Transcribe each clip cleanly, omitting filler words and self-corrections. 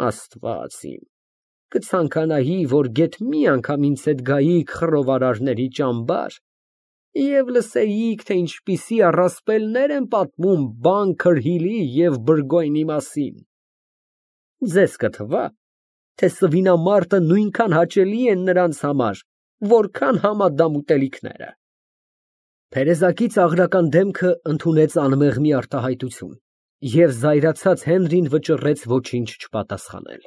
Աստված իմ, կցանկանայի, որ գեթ մի անգամ ինձ հետ գայիք խռովարարների ճամբար և լսեիք, թե ինչպիսի առասպելներ են պատմում Բան Քրհիլի և Բրգոյնի մասին. ձեզ կթվա, թե սվինամարտը նույնքան հաճելի է նրանց համար, որքան համադամ ուտելիքները։ Փերեզակի ծաղրական դեմքը ընդունեց անմեղմի արտահայտություն, և զայրացած Հենրին վճռեց ոչինչ չպատասխանել։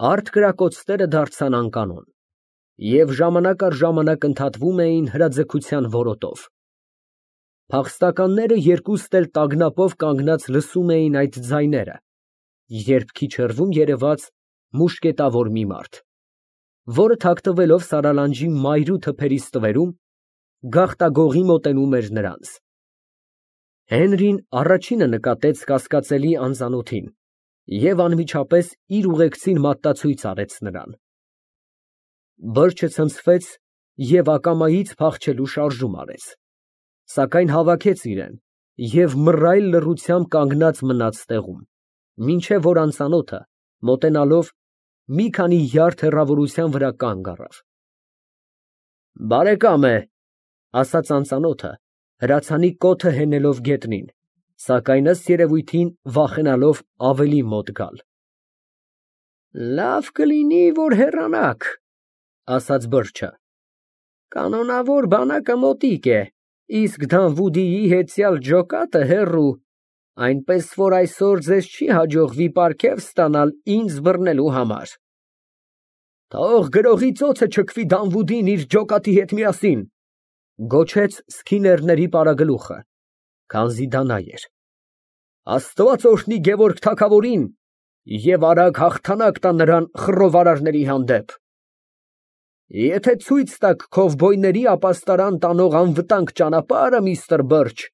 Արդ կրակոցները դարձան անկանոն, և ժամանակ առ ժամանակ ընդհատվում էին հրաձգության որոտով։ Փախստականները երկուստ էլ տագնապով կանգնած լսում էին այդ ձայները, երբ քիչ հեռվում երևաց մուշկետավոր մի մարդ, որը թաքնվելով սարալանջի մայրու թփերի ստվերում, գաղտագողի մոտենում էր նրանց։ Հենրին առաջինը նկատեց կասկածելի անծանոթին և անմիջապես իր ուղեկցին մատտացույց արեց նրան։ Բրջը ցնցվեց և ակամայից փախչելու շարժում արեց, սակայն հավաքեց իրեն և մռայլ լռությամբ կանգնած մնաց տեղում, մինչև որ անծանոթը, մոտենալով, մի քանի յարդ հեռավորության վրա կանգ առավ։ Բարեկամ է, ասաց անծանոթը, հրացանի կոթը հենելով գետնին, սակայն ըստ երևույթին վախենալով ավելի մոտ գալ։ Լավ կլինի, որ հեռանաք, ասաց բրջը, կանոնավոր բանակը մոտիկ է, իսկ Դանվուդիի հետյալ ջոկատը հեռու, այնպես որ այսօր ձեզ չի հաջողվի պարգև ստանալ ինձ բռնելու համար։ Թող գրողի ծոցը չքվի Դանվուդին իր ջոկատի հետ միասին, գոչեց Սքիներների պարագլուխը, քանզի դա նա էր։ Աստված օրհնի Գևորգ թագավորին և արագ հաղթանակ տա նրան խռովարարների հանդեպ։ Եթե ցույց տաք քովբոյների ապաստարան տանող անվտանգ ճանապարհը, միստր Բերջ,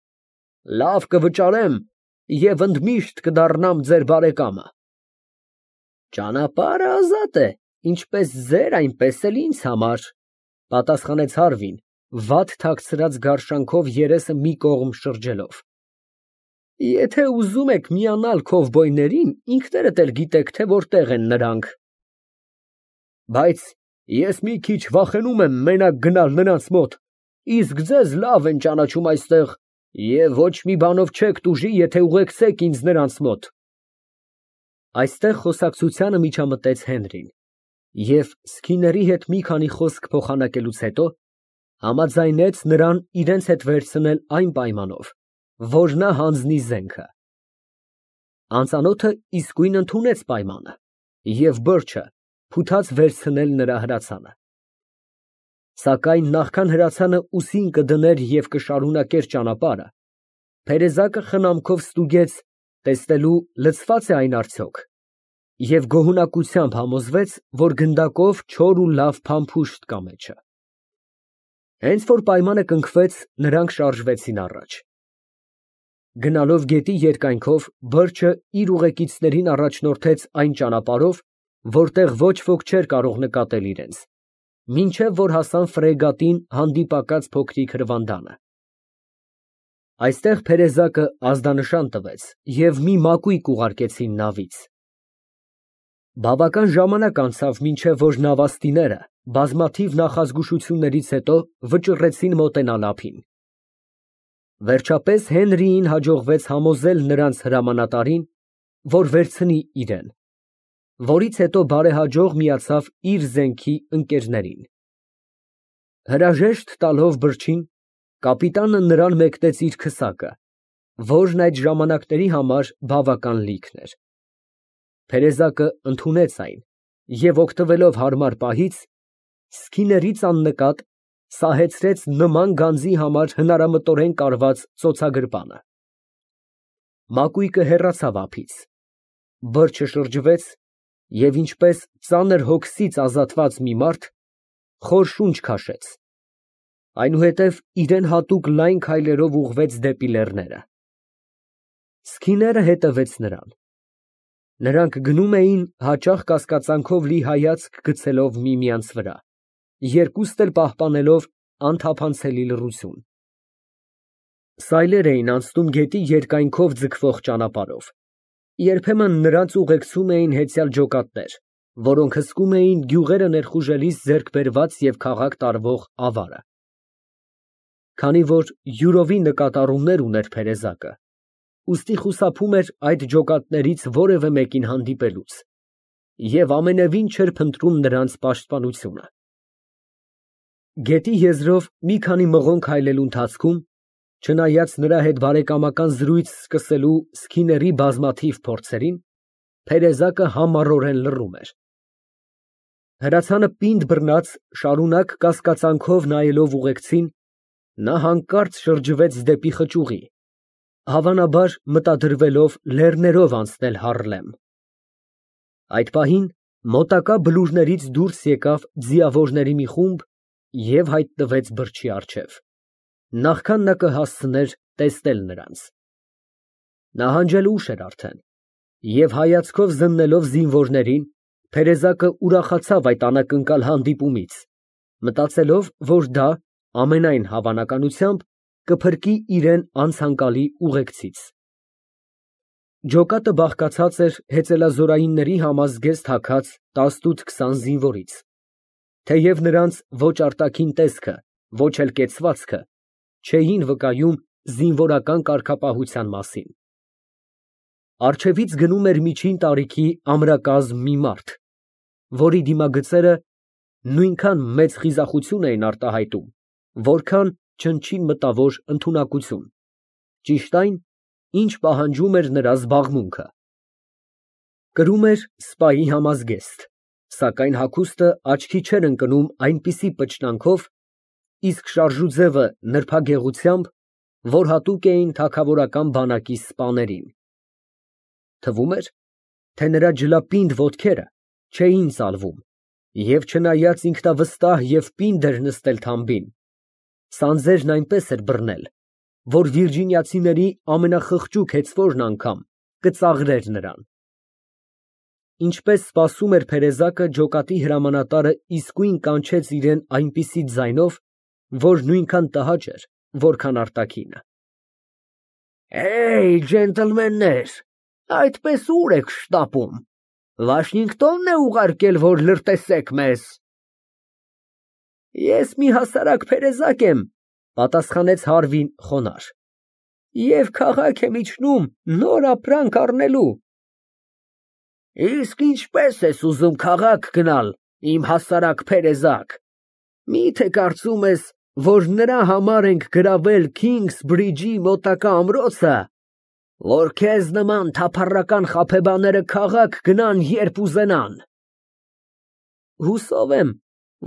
լավ կվճարեմ և ընդմիշտ կդառնամ ձեր բարեկամը։ Ճանապարհը ազատ է, ինչպես ձեր, այնպես էլ ինձ համար, պատասխանեց Հարվին, վատ թաքցրած գարշանքով երեսը մի կողմ շրջելով։ Եթե ուզում եք միանալ քովբոյներին, ինքներդ էլ գիտեք, թե որտեղ են նրանք։ Բայց ես մի քիչ վախենում եմ մենակ գնալ նրանց մոտ, իսկ ձեզ լավ են ճանաչում այստեղ և ոչ մի բանով չեք տուժի, եթե ուղեկցեք ինձ նրանց մոտ։ Այստեղ խոսակցությանը միջամտեց Հենրին և, Սքիների հետ մի քանի խոսք փոխանակելուց հետո, համաձայնեց նրան իրենց հետ վերցնել այն պայմանով, որ նա հանձնի զենքը։ Անծանոթը իսկույն ընդունեց պայմանը և բրջը փութաց վերցնել նրա հրացանը։ Սակայն նախքան հրացանը ուսին կդներ և կշարունակեր ճանապարհը, Փերեզակը խնամքով ստուգեց, տեսնելու լցվա՞ծ է այն արդյոք, և գոհունակությամբ համոզվեց, որ գնդակով չոր ու լավ փամփուշտ կա մեջը։ Հենց որ պայմանը կնքվեց, նրանք շարժվեցին առաջ։ Գնալով գետի երկայնքով, բրջը իր ուղեկիցներին առաջնորդեց այն ճանապարհով, որտեղ ոչ ոք չէր կարող նկատել իրենց, մինչև որ հասան ֆրեգատին հանդիպակաց փոքրիկ հրվանդանը։ Այստեղ Փերեզակը ազդանշան տվեց և մի մակույկ ուղարկեցին նավից։ Բավական ժամանակ անցավ, մինչև որ նավաստիները բազմաթիվ նախազգուշություններից հետո վճռեցին մոտենալ ափին։ Վերջապես Հենրիին հաջողվեց համոզել նրանց հրամանատարին, որ վերցնի իրեն, որից հետո բարեհաջող միացավ իր զենքի ընկերներին։ Հրաժեշտ տալով բրջին, կապիտանը նրան մեկնեց իր քսակը, որն այդ ժամանակների համար բավական լիքն էր։ Փերեզակը ընդունեց այն և, օգտվելով հարմար պահից, Սքիներից աննկատ սահեցրեց նման գանձի համար հնարամտորեն կարված ծոցագրպանը։ Մակույկը հեռացավ ափից, բրջը շրջվեց և, ինչպես ծանր հոգսից ազատված մի մարդ, խոր շունչ քաշեց, այնուհետև իրան հատուկ լայն քայլերով ուղղվեց դեպի լեռները։ Սքիները հետևեց նրան։ Նրանք գնում էին հաճախ կասկածանքով լի հայացք գցելով միմյանց վրա, երկուստ էլ պահպանելով անթափանցելի լռություն։ Սայլեր էին անցնում գետի երկայնքով ձգվող ճանապարհով։ Երբեմն նրանց ուղեկցում էին հեծյալ ջոկատներ, որոնք հսկում էին գյուղերը ներխուժելիս ձեռք բերված և քաղաք տարվող ավարը։ Քանի որ յուրովի նկատառումներ ուներ փերեզակը, ուստի խուսափում էր այդ ջոկատներից որևէ մեկին հանդիպելուց և ամենևին չէր փնտրում նրանց պաշտպանությունը։ Գետի եզրով մի քանի մղոն քայլելու ընթացքում, չնայած նրա հետ բարեկամական զրույց սկսելու սքիների բազմաթիվ փորձերին, փերեզակը համառորեն լռում էր։ Հրացանը պինդ բռնած, շարունակ կասկածանքով նայելով ուղեկցին, նա հանկարծ շրջվեց դեպի խճուղի, հավանաբար մտադրվելով լեռներով անցնել Հարլեմ։ Այդ պահին մոտակա բլուրներից դուրս եկավ ձիավորների մի խումբ և հայտնվեց բրջի առջև, նախքան նա կհասցներ տեսնել նրանց։ Նահանջել ուշ էր արդեն, և հայացքով զննելով զինվորներին, փերեզակը ուրախացավ այդ անակնկալ հանդիպումից, մտածելով, որ դա, ամենայն հավանականությամբ, կփրկի իրան անցանկալի ուղեկցից։ Ջոկատը բաղկացած էր հեծելազորայինների համազգեստ հագած 18-20 զինվորից, թեև նրանց ոչ արտաքին տեսքը, ոչ էլ կեցվածքը չէին վկայում զինվորական կարգապահության մասին։ Առջևից գնում էր միջին տարիքի ամրակազմ մի մարդ, որի դիմագծերը նույնքան մեծ խիզախություն էին արտահայտում, որքան չնչին մտավոր ընդունակություն, ճիշտ այն, ինչ պահանջում էր նրա զբաղմունքը։ Կրում էր սպայի համազգեստ, սակայն հագուստը աչքի չէր ընկնում այնպիսի պճնանքով, իսկ շարժուձևը նրբագեղությամբ, որ հատուկ էին թագավորական բանակի սպաներին։ Թվում էր, թե նրա ջլապինդ ոտքերը չէին ծալվում, և չնայած ինքնավստահ և պինդ էր նստել թամբին, սանձերն այնպես էր բռնել, որ վիրջինիացիների ամենախղճուկ հեծվորն անգամ կծաղրեր նրան։ Ինչպես սպասում էր փերեզակը, ջոկատի հրամանատարը իսկույն կանչեց իրան այնպիսի ձայնով, որ նույնքան տհաճ էր, որքան արտաքինը։ Ջենտլմեններ, այդպես ուր եք շտապում։ Վաշինգտո՞նն է ուղարկել, որ լրտեսեք մեզ։ Ես մի հասարակ փերեզակ եմ, պատասխանեց Հարվին խոնարհ, և քաղաք եմ իջնում նոր ապրանք առնելու։ Իսկ ինչպես ես ուզում քաղաք գնալ, իմ հասարակ փերեզակ, միթե կարծում ես, որ նրա համար ենք գրավել Քինգսբրիջի մոտակա ամրոցը, որ քեզ նման թափառական խաբեբաները քաղաք գնան, երբ ուզենան։ Հուսով եմ,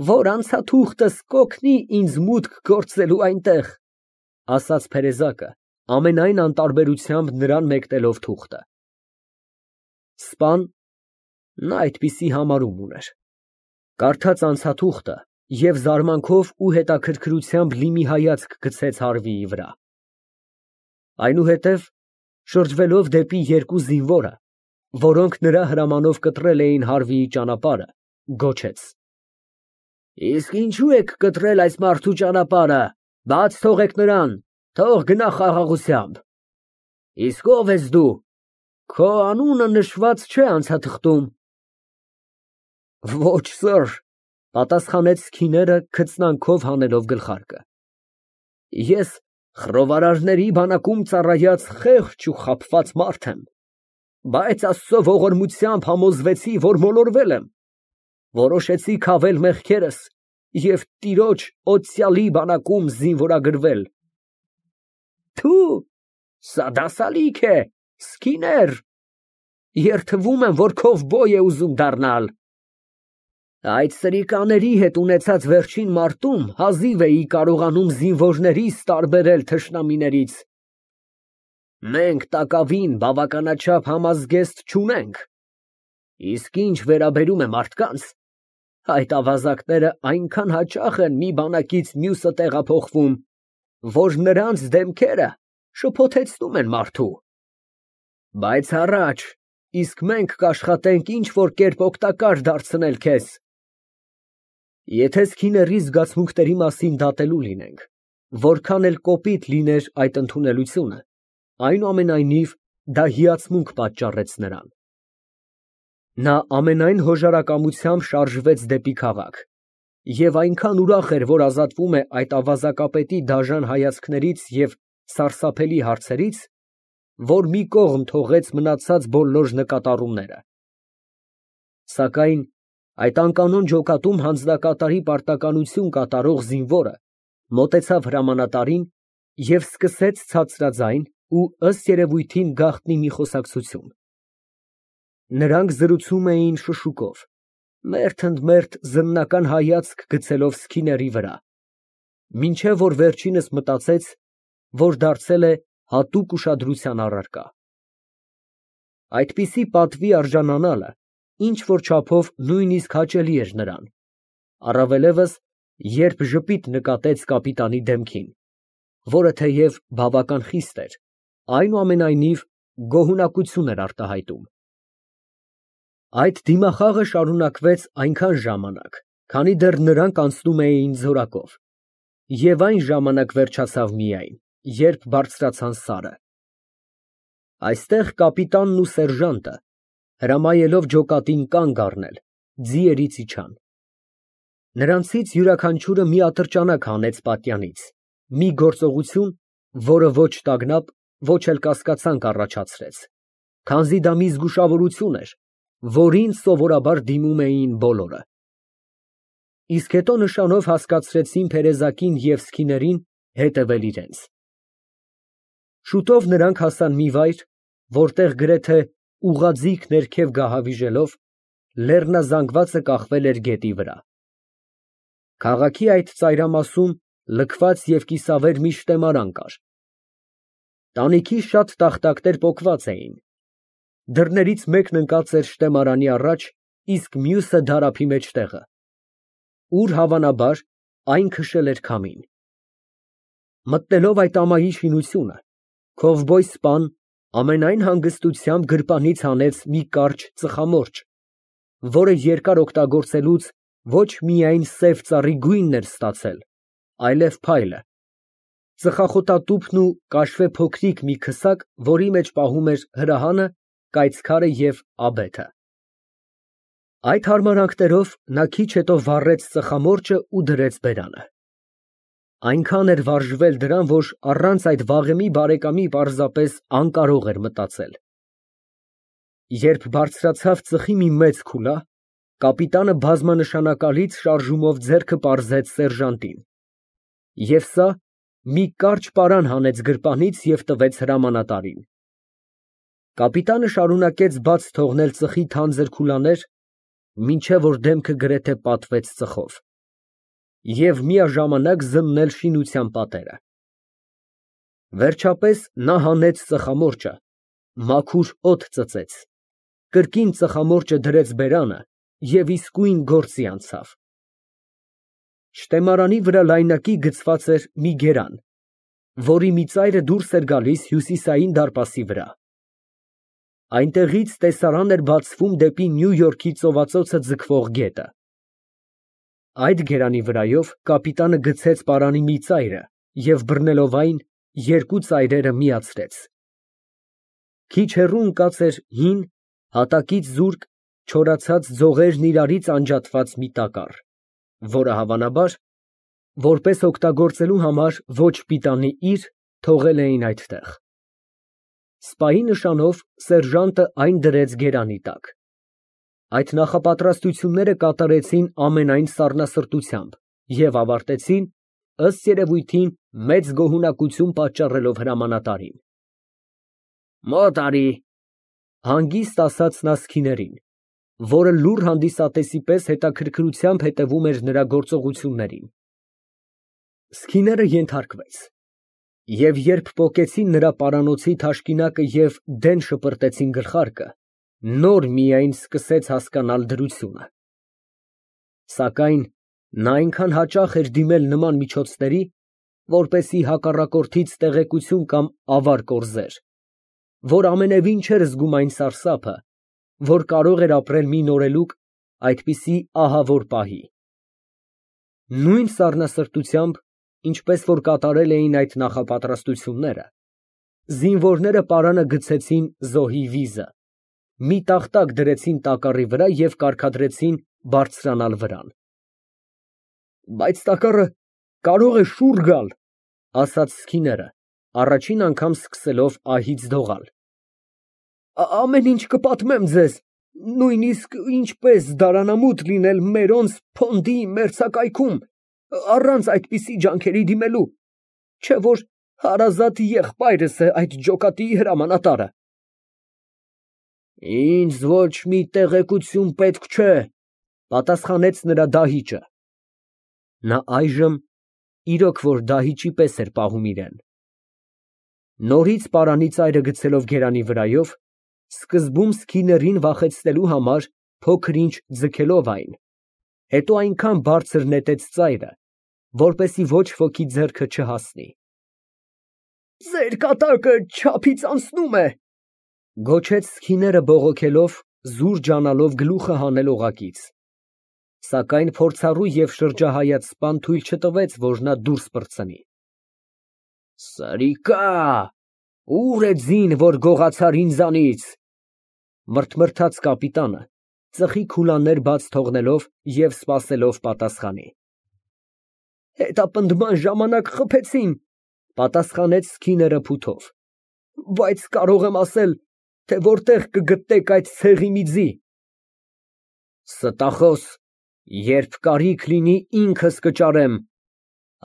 որ անցաթուղթս կօգնի ինձ մուտք գործելու այնտեղ, ասաց փերեզակը, ամենայն անտարբերությամբ նրան մեկնելով թուղթը։ Սպան նա այդպիսի համարում ուներ, կարդաց անցաթուղթը և զարմանքով ու հետաքրքրությամբ լի մի հայացք գցեց Հարվիի վրա։ Այնուհետև, շրջվելով դեպի երկու զինվորը, որոնք նրա հրամանով կտրել էին Հարվիի ճանապարհը, գոչեց. Իսկ ինչու եք կտրել այս մարդու ճանապարհը, բաց թողեք նրան, թող գնա խաղաղությամբ։ Իսկ ով ես դու, քո անունը նշված չէ անցաթղթում։ Ոչ սըր, պատասխանեց քիները քծնանքով հանելով գլխարկը։ Ես խռովարարների բանակում ծառայած խեղճ ու խաբված մարդ եմ, բայց Աստծո ողորմությամբ համոզվեցի, որ մոլորվել եմ, որոշեցի քավել մեղքերս և տիրոջ օծյալի բանակում զինվորագրվել։ Թու, սա դասալիք է, սկիներ, երդվում եմ, որ քովբոյ է ուզում դառնալ։ Այդ սրիկաների հետ ունեցած վերջին մարտում հազիվ էի կարողանում զինվորներիս տարբերել թշնամիներից։ Մենք տակավին բավականաչափ համազգեստ չունենք, իսկ ինչ վերաբերում է մարդկանց, այդ ավազակները այնքան հաճախ են մի բանակից մյուսը տեղափոխվում, որ նրանց դեմքերը շփոթեցնում են մարդու։ Բայց առաջ, իսկ մենք կաշխատենք ինչ-որ կերպ օգտակար դարձնել քեզ։ Եթե սքիների զգացմունքների մասին դատելու լինենք, որքան էլ կոպիտ լիներ այդ ընդունելությունը, այնուամենայնիվ դա հիացմունք պատճառեց նրան։ Նա ամենայն հոժարակամությամբ շարժվեց դեպի քաղաք և այնքան ուրախ էր, որ ազատվում է այդ ավազակապետի դաժան հայացքներից և սարսափելի հարցերից, որ մի կողմ թողեց մնացած բոլոր նկատառումները։ Սակայն այդ անկանոն ջոկատում հանձնակատարի պարտականություն կատարող զինվորը մոտեցավ հրամանատարին և սկսեց ցածրաձայն ու ըստ երևույթին գաղտնի մի խոսակցություն։ Նրանք զրուցում էին շշուկով, մերթ ընդ մերթ զննական հայացք գցելով Սքիների վրա, մինչև որ վերջինս մտածեց, որ դարձել է հատուկ ուշադրության առարկա։ Այդպիսի պատվի արժանանալը ինչ֊որ չափով նույնիսկ հաճելի էր նրան, առավելևս, երբ ժպիտ նկատեց կապիտանի դեմքին, որը թեև բավական խիստ էր, այնուամենայնիվ գոհունակություն էր արտահայտում։ Այդ դիմախաղը շարունակվեց այնքան ժամանակ, քանի դեռ նրանք անցնում էին ձորակով, և այն ժամանակ վերջացավ միայն, երբ բարձրացան սարը։ Այստեղ կապիտանն ու սերժանտը, հրամայելով ջոկատին կանգ առնել, ձիերից իջան։ Նրանցից յուրաքանչյուրը մի ատրճանակ հանեց պատյանից, մի գործողություն, որը ոչ տագնապ, ոչ էլ կասկածանք առաջացրեց, քանզի դա մի զգուշավորություն էր, որին սովորաբար դիմում էին բոլորը։ Իսկ հետո նշանով հասկացրեցին Փերեզակին և Սքիներին հետևել իրենց։ Շուտով նրանք հասան մի վայր, որտեղ գրեթե ուղղաձիգ ներքև գահավիժելով, լեռնազանգվածը կախվել էր գետի վրա։ Քաղաքի այդ ծայրամասում լքված և կիսավեր մի շտեմարան կար։ Տանիքի շատ տախտակներ պոկված էին։ Դռներից մեկն ընկած էր շտեմարանի առաջ, իսկ մյուսը դարափի մեջտեղը, ուր, հավանաբար, այն քշել էր քամին։ Մտնելով այդ ամայի շինությունը, քովբոյ սպան ամենայն հանգստությամբ գրպանից հանեց մի կարճ ծխամորճ, որը երկար օգտագործելուց ոչ միայն սև ծառի գույնն էր ստացել, այլև փայլը, ծխախոտատուփն ու կաշվե փոքրիկ մի քսակ, որի մեջ պահում էր հրահանը, կայծքարը և աբեթը։ Այդ հարմարանքներով նա քիչ հետո վառեց ծխամորճը ու դրեց բերանը։ Այնքան էր վարժվել դրան, որ առանց այդ վաղեմի բարեկամի պարզապես անկարող էր մտածել։ Երբ բարձրացավ ծխի մի մեծ քուլա, կապիտանը բազմանշանակալից շարժումով ձեռքը պարզեց սերժանտին, և սա մի կարճ պարան հանեց գրպանից և տվեց հրամանատարին։ Կապիտանը շարունակեց բաց թողնել ծխի թանձր քուլաներ, մինչև որ դեմքը գրեթե պատվեց ծխով, և միաժամանակ զննել շինության պատերը։ Վերջապես նա հանեց ծխամորճը, մաքուր օդ ծծեց, կրկին ծխամորճը դրեց բերանը և իսկույն գործի անցավ։ Շտեմարանի վրա լայնակի գծված էր մի գերան, որի մի ծայրը դուրս էր գալիս հյուսիսային դարպասի վրա։ Այնտեղից տեսարան էր բացվում դեպի Նյու Յորքի ծովածոցը ձգվող գետը։ Այդ գերանի վրայով կապիտանը գցեց պարանի մի ծայրը և բռնելով այն, երկու ծայրերը միացրեց։ Քիչ հեռու ընկած էր հին, հատակից զուրկ, չորացած ձողերն իրարից անջատված մի տակառ, որը, հավանաբար, որպես օգտագործելու համար ոչ պիտանի իր, թողել էին այդտեղ։ Սպայի նշանով սերժանտը այն դրեց գերանի տակ։ Այդ նախապատրաստությունները կատարեցին ամենայն սառնասրտությամբ և ավարտեցին, ըստ երևույթին, մեծ գոհունակություն պատճառելով հրամանատարին։ «Մոտ արի», հանգիստ ասաց նա Սքիներին, որը լուռ հանդիսատեսի պես հետաքրքրությամբ հետևում էր նրա գործողություններին։ Սքիները ենթարկվեց, և երբ պոկեցին նրա պարանոցի թաշկինակը և դեն շպրտեցին գլխարկը, նոր միայն սկսեց հասկանալ դրությունը։ Սակայն նա այնքան հաճախ էր դիմել նման միջոցների, որպեսզի հակառակորդից տեղեկություն կամ ավար կորզեր, որ ամենևին չէր զգում այն սարսափը, որ կարող էր ապրել մի նորելուկ այդպիսի ահավոր պահի։ Նույն սառնասրտությամբ, ինչպես որ կատարել էին այդ նախապատրաստությունները, Զինվորները պարանը գցեցին զոհի վիզը, մի տախտակ դրեցին տակառի վրա և կարգադրեցին բարձրանալ վրան։ Բայց տակառը կարող է շուռ գալ, ասաց Սքիները, առաջին անգամ սկսելով ահից դողալ։ Ամեն ինչ կպատմեմ ձեզ, նույնիսկ ինչպես դարանամուտ լինել մերոնց փոնդի մերձակայքում, առանց այդպիսի ջանքերի դիմելու, չէ որ հարազատ եղբայրս է այդ ջոկատի հրամանատարը։ Ինձ ոչ մի տեղեկություն պետք չէ, պատասխանեց նրա դահիճը։ Նա այժմ իրոք որ դահիճի պես էր պահում իրեն։ Նորից պարանի ծայրը գցելով գերանի վրայով, սկզբում Սքիներին վախեցնելու համար փոքր-ինչ ձգելով այն, հետո այնքան բարձր նետեց ծայրը, որպեսզի ոչ ոքի ձեռքը չհասնի։ Ձեր կատակը չափից անցնում է, գոչեց Սքիները բողոքելով, զուր ջանալով գլուխը հանել օղակից, սակայն փորձառու և շրջահայաց սպան թույլ չտվեց, որ նա դուրս պրծնի։ Սրիկա, ուր է ձին, որ գողացար ինձանից, մրթմրթաց կապիտանը, ծխի քուլաներ բաց թողնելով և սպասելով պատասխանի։ Հետապնդման ժամանակ խփեցին, պատասխանեց Սքիները փութով, բայց կարող եմ ասել, թե որտեղ կգտնեք այդ ցեղի մի ձի։ Ստախոս, երբ կարիք լինի ինքս կճարեմ,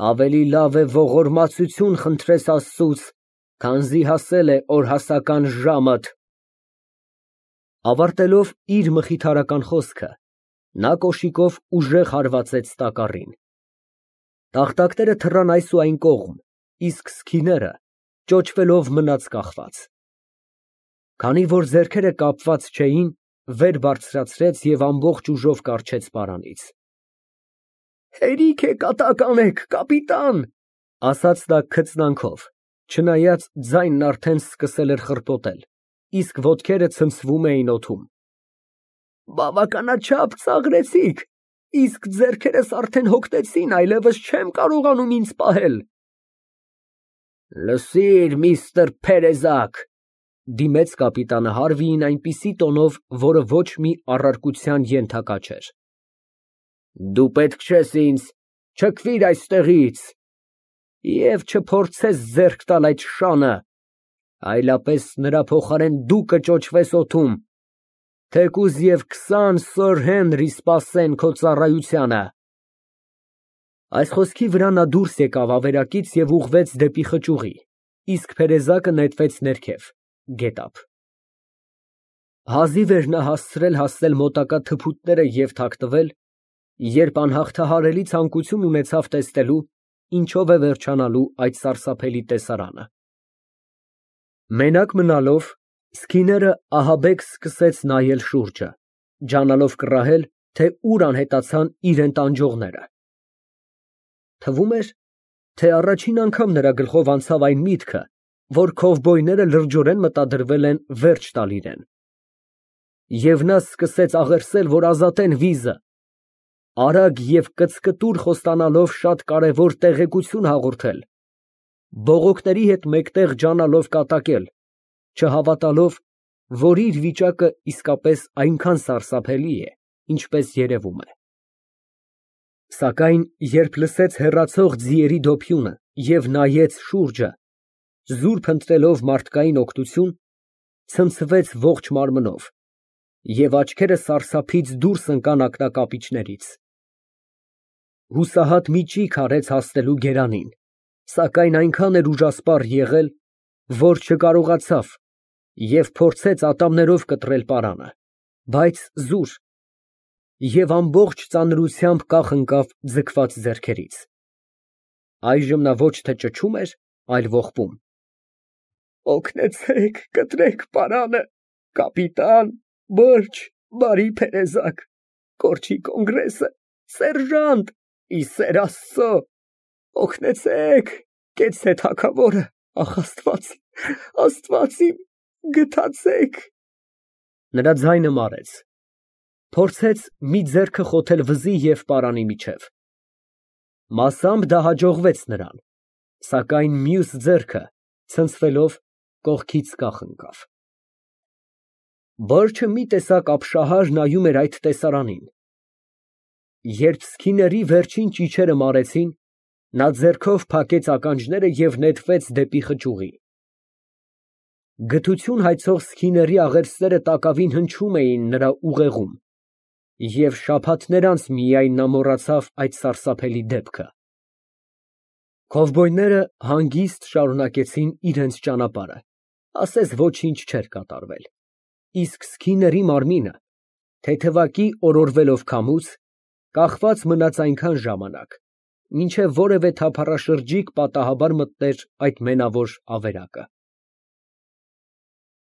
ավելի լավ է ողորմածություն խնդրես Աստծուց, քանզի հասել է օրհասական ժամդ։ Ավարտելով իր մխիթարական խոսքը, նա կոշիկով ուժեղ հարվածեց տակառին։ Տախտակները թռան այս ու այն կողմ, իսկ Սքիները ճոճվելով մնաց կախված։ Քանի որ ձեռքերը կապված չէին, վեր բարձրացրեց և ամբողջ ուժով կառչեց պարանից։ Հերիք է կատակ անեք, կապիտան, ասաց նա քծնանքով, չնայած ձայնն արդեն սկսել էր խռպոտել, իսկ ոտքերը ցնցվում էին օդում։ Բավականաչափ ծաղրեցիք, իսկ ձեռքերս արդեն հոգնեցին, այլևս չեմ կարողանում ինձ պահել։ Լսիր, միստր Փերեզակ, դիմեց կապիտանը Հարվիին այնպիսի տոնով, որը ոչ մի առարկության ենթակա չէր։ Դու պետք չես ինձ, չքվիր այստեղից և չփորձես ձեռք տալ այդ շանը, այլապես նրա փոխարեն դու կճոճվես օդում, թեկուզ և 20 Սըր Հենրի սպասեն քո ծառայությանը։ Այս խոսքի վրա նա դուրս եկավ ավերակից և ուղղվեց դեպի խճուղի, իսկ Փերեզակը նետվեց ներքև, գետափ։ Հազիվ էր նա հասցրել մոտակա թփուտները և թաքնվել, երբ անհաղթահարելի ցանկություն ունեցավ տեսնելու, ինչով է վերջանալու այդ սարսափելի տեսարանը։ Մենակ մնալով, Սքիները ահաբեկ սկսեց նայել շուրջը, ջանալով կռահել, թե ուր անհետացան իրան տանջողները։ Թվում էր, թե առաջին անգամ նրա գլխով անցավ այն միտքը, որ քովբոյները լրջորեն մտադրվել են վերջ տալ իրան։ Եվ նա սկսեց աղերսել, որ ազատեն վիզը, արագ և կծկտուր խոստանալով շատ կարևոր տեղեկություն հաղորդել, բողոքների հետ մեկտեղ ջանալով կատակել, չհավատալով, որ իր վիճակը իսկապես այնքան սարսափելի է, ինչպես երևում է։ Սակայն երբ լսեց հեռացող ձիերի դոփյունը և նայեց շուրջը, զուրկ ընտրելով մարդկային օգնություն, ցնցվեց ողջ մարմնով, և աչքերը սարսափից դուրս ընկան ակնակապիճներից։ Հուսահատ մի ճիգ արեց հասնելու գերանին, սակայն այնքան էր ուժասպառ եղել, որ չկարողացավ և փորձեց ատամներով կտրել պարանը, բայց զուր, և ամբողջ ծանրությամբ կախ ընկավ ձգված ձեռքերից։ Այժմ նա ոչ թե ճչում էր, այլ ողբում. Օգնեցեք, կտրեք պարանը, կապիտան, բրջ, բարի Փերեզակ, կորչի կոնգրեսը, սերժանտ, ի սեր Աստծո, օգնեցեք, կեցցե թագավորը, ախ, Աստված իմ, գթացեք։ Նրա ձայնը մարեց, փորձեց մի ձեռքը խոթել վզի և պարանի միջև։ Մասամբ դա հաջողվեց նրան, սակայն մյուս ձեռքը ցնցվելով Կողքից կախ ընկավ։ Ոչ մի տեսակ ապշահար նայում էր այդ տեսարանին։ Երբ սկիների վերջին ճիչերը մարեցին, նա ձեռքով փակեց ականջները և նետվեց դեպի խճուղի։ Գթություն հայցող սկիների աղերսները տակավին հնչում էին նրա ուղեղում, և շաբաթներ անց միայն նա մոռացավ այդ սարսափելի դեպքը։ Քովբոյները հանգիստ շարունակեցին իրենց ճանապարհը, ասես ոչինչ չէր կատարվել, իսկ սկիների մարմինը, թեթևակի օրորվելով քամուց, կախված մնաց այնքան ժամանակ, մինչև որևէ թափառաշրջիկ պատահաբար մտներ այդ մենավոր ավերակը։